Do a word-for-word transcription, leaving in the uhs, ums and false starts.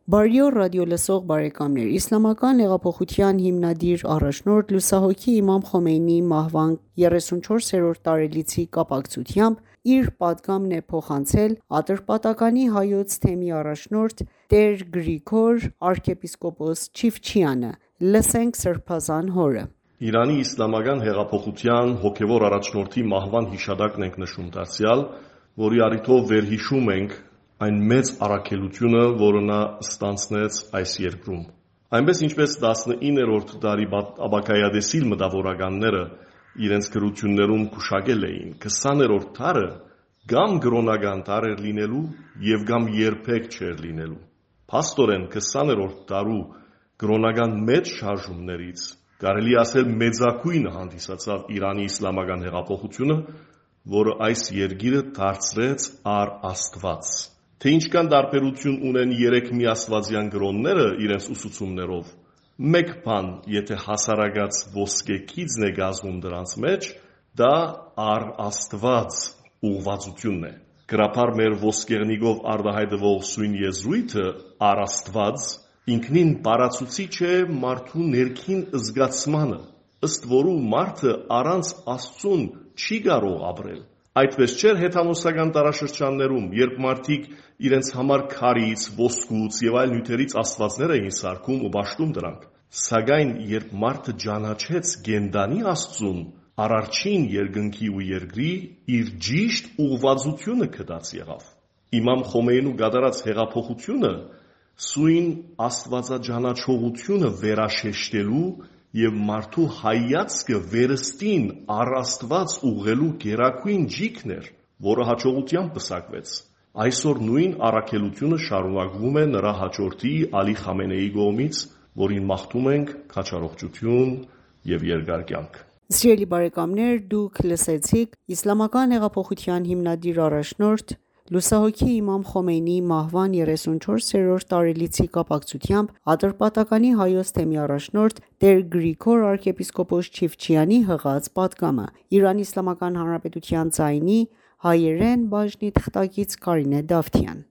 Բարի օր ռադիոլսող բարեկամներ, Իսլամական հեղափոխության հիմնադիր առաջնորդ լուսահոգի իմամ Խոմեյնիի մահվան երեսունչորսերորդ տարելիցի կապակցությամբ իր պատգամն է փոխանցել Ատրպատականի Հայոց թեմի առաջնորդ տեր Գրիգոր arczepiskopos Չիֆչյանը: Լսենք սրբազան հորը: Իրանի իսլամական հեղափոխության հոգևոր առաջնորդի մահվան հիշատակն ենք նշում դարձյալ, որի առիթով վերհիշում ենք այն մեծ առաքելությունը, որը նա ստանձնեց այս երկրում: Այնպես ինչպես տասնիններորդ դարի Աբաքայադեսիլ մտավորականները իրենց գրություններում գուշակել էին, քսաներորդ դարը կամ կրոնական դար էր լինելու և կամ երբեք չէր լինելու: Փաստորեն քսաներորդ դարու կրոնական մեծ շարժումներից կարելի է ասել մեծագույնը հանդիսացավ Իրանի իսլամական հեղափոխությունը, որը այս երկիրը դարձրեց առ Աստված: Թե ինչքան տարբերություն ունեն երեք միաստվածյան կրոնները իրենց ուսուցումներով, մեկ բան եթե հասարակած ոսկե քիծն է կազմում դրանց մեջ, դա առ Աստված ուղղվածությունն է: Գրաբար մեր ոսկեղենիկով արտահայտվող սույն եզրույթը առ Աստված ինքնին բառացուցիչ է մարդու ներքին զգացմանը, ըստ որու մարդը առանց Աստծուն չի կարող ապրել: Այդպես չէր հեթանոսական դարաշրջաններում, երբ մարդիկ իրենց համար քարից, ոսկուց և այլ նյութերից աստվածներ էին սարքում ու պաշտում դրանք: Սակայն երբ մարդը ճանաչեց կենդանի Աստծուն, Արարչին երկնքի ու երկրի, իր ճիշտ ուղղվածությունը գտած եղավ: Իմամ Խոմեյնու կատարած հեղափոխությունը սույն աստվածաճանաչողությունը վերաշեշտելու և մարդու հայացքը վերստին առ Աստված ուղղելու գերագույն ճիգն էր, որը հաջողությամբ պսակվեց: Այսօր նույն առաքելությունը շարունակվում է նրա հաջորդի Ալի Խամենեիի կողմից, որին մաղթում ենք քաջառողջություն և երկար կյանք: Սիրելի բարեկամներ, դուք լսեցիք Իսլամական հեղափոխության հիմնադիր առաջնորդ լուսահոգի իմամ Խոմեյնիի մահվան երեսունչորսերորդ տարելիցի կապակցությամբ Ատրպատականի Հայոց թեմի առաջնորդ տեր Գրիգոր arczepiskopos Չիֆչյանի հղած պատգամը: Իրանի Իսլամական Հանրապետության ձայնի հայերեն բաժնի թղթակից Կարինե Դավթյան: